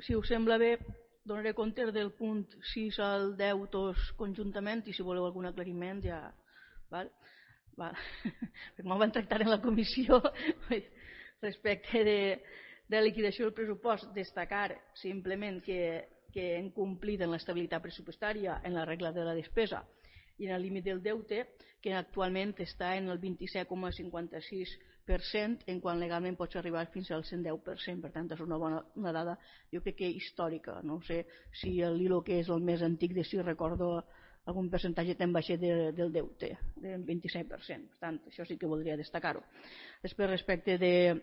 Si us sembla bé, donaré compte del punt 6 al 10 tots conjuntament i si voleu algun aclariment ja... Val? Com ho van tractar en la comissió respecte de liquidació del pressupost, destacar simplement que hem complit en l'estabilitat pressupostària, en la regla de la despesa i en el límit del deute, que actualment està en el 27,56%, en quan legalment pots arribar fins al 110%. Per tant, és una dada, jo crec que històrica. No sé si l'ILO, que és el més antic, de si recordo algun percentatge tan baixet del deute, del 27%. Per tant, això sí que voldria destacar-ho. Després, respecte del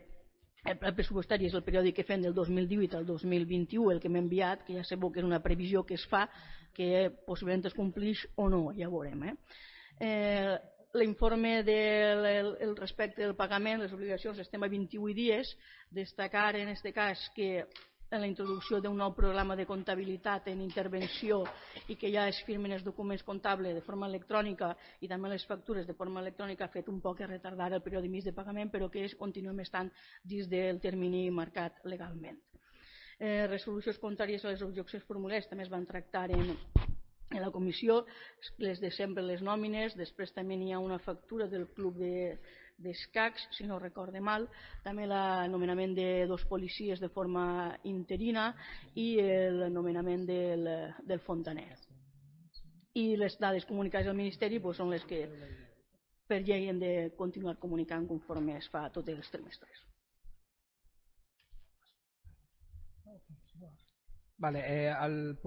pressupostari, és el periòdic que fem del 2018 al 2021, el que m'he enviat, que ja sabeu que és una previsió que es fa, que possiblement es complix o no, ja ho veurem. L'informe respecte del pagament, les obligacions, estem a 28 dies. Destacar en aquest cas que en la introducció d'un nou programa de comptabilitat en intervenció i que ja es firmen els documents comptables de forma electrònica i també les factures de forma electrònica, ha fet un poc retardar el període mig de pagament, però que continuem estant dins del termini marcat legalment. Resolucions contràries a les objeccions formulades també es van tractar en la comissió, les de sempre, les nòmines. Després també hi ha una factura del club d'escacs, si no recorde mal, també el nomenament de 2 policies de forma interina i el nomenament del fontaner. I les dades comunicades al Ministeri són les que per llei hem de continuar comunicant conforme es fa tots els trimestres. Vale, al punt